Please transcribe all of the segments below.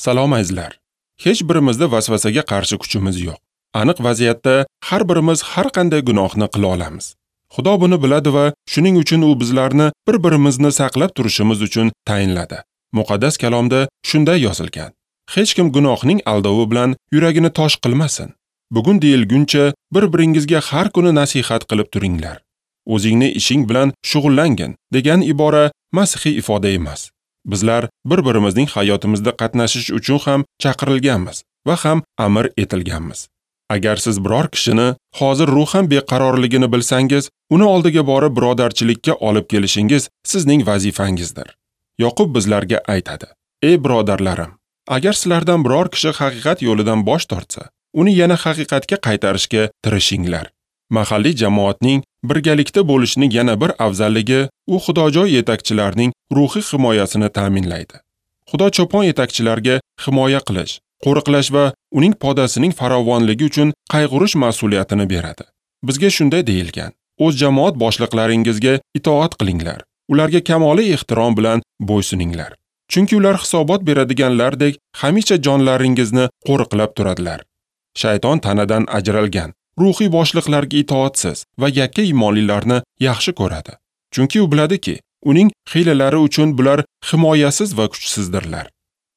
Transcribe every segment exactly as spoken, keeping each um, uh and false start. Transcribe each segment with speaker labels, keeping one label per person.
Speaker 1: Salom azizlar. Hech birimizda vasvasaga qarshi kuchimiz yo'q. Aniq vaziyatda har birimiz har qanday gunohni qila olamiz. Xudo buni biladi va shuning uchun u bizlarni bir-birimizni saqlab turishimiz uchun tayinladi. Muqaddas kalomda shunday yozilgan: Hech kim gunohning aldovi bilan yuragini tosh qilmasin. Bugun deyilguncha bir-biringizga har kuni nasihat qilib turinglar. O'zingni ishing bilan shug'ullangin degan ibora masihiy ifoda emas. Bizlar bir-birimizning hayotimizda qatnashish uchun ham chaqirilganmiz va ham amr etilganmiz. Agar siz biror kishini hozir ruhan beqarorligini bilsangiz, uni oldiga borib birodarchilikka olib kelishingiz sizning vazifangizdir. Yoqub bizlarga aytadi: "Ey birodarlarim, agar sizlardan biror kishi haqiqat yo'lidan bosh tortsa, uni yana haqiqatga qaytarishga tirishinglar." Mahalliy jamoatning birgalikda bo'lishining yana bir afzalligi, u xudojoy yetakchilarning ruhiy himoyasini ta'minlaydi. Xudo cho'pon yetakchilarga himoya qilish, qo'riqlash va uning podasining farovonligi uchun qayg'urish mas'uliyatini beradi. Bizga shunday deyilgan: o'z jamoat boshliqlaringizga itoat qilinglar, ularga kamoli ehtirom bilan bo'ysuninglar. Chunki ular hisobot beradiganlardek hamisha jonlaringizni qo'riqlab turadilar. Shayton tanadan ajralgan ruhiy boshliqlarga itoatsiz va yakka iymonlilarni yaxshi ko'radi. Chunki u biladiki, uning hiylalari uchun bular himoyasiz va kuchsizdirlar.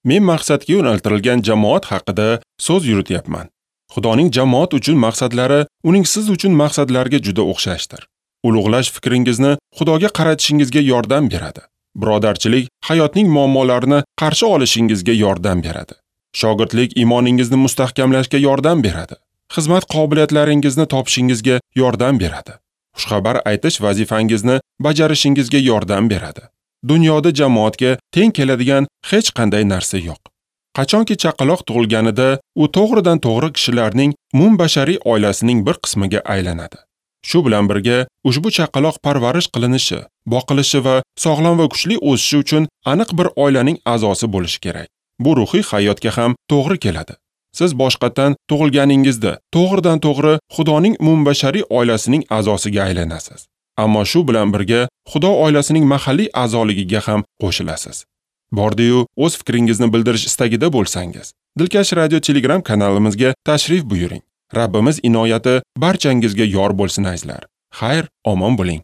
Speaker 1: Men maqsadga yo'naltirilgan jamoat haqida so'z yurityapman. Xudoning jamoat uchun maqsadlari uning siz uchun maqsadlariga juda o'xshashdir. Ulug'lash fikringizni Xudoga qaratishingizga yordam beradi. Birodarchilik hayotning muammolarini qarshi olishingizga yordam beradi. Shogirdlik iymoningizni mustahkamlashga yordam beradi. Xizmat qobiliyatlaringizni topishingizga yordam beradi. Xushxabar aytish vazifangizni bajarishingizga yordam beradi. Dunyoda jamoatga teng keladigan hech qanday narsa yo'q. Qachonki chaqaloq tug'ilganida, u to'g'ridan to'g'ri kishilarning umumbashariy oilasining bir qismiga aylanadi. Shu bilan birga, ushbu chaqaloq parvarish qilinishi, boqilishi va sog'lom va kuchli o'sishi uchun aniq bir oilaning a'zosi bo'lishi kerak. Bu ruhiy hayotga ham to'g'ri keladi. Siz boshqatdan tug'ilganingizda to'g'ridan to'g'ri Xudoning umumbashariy oilasining a'zosiga aylanasiz. Ammo shu bilan birga Xudo oilasining mahalliy a'zoligiga ham qo'shilasiz. Bordi-yu o'z fikringizni bildirish istagida bo'lsangiz, Dilkash Radio Telegram kanalimizga tashrif buyuring. Rabbimiz inoyati barchangizga yor bo'lsin azizlar. Xayr, omon bo'ling.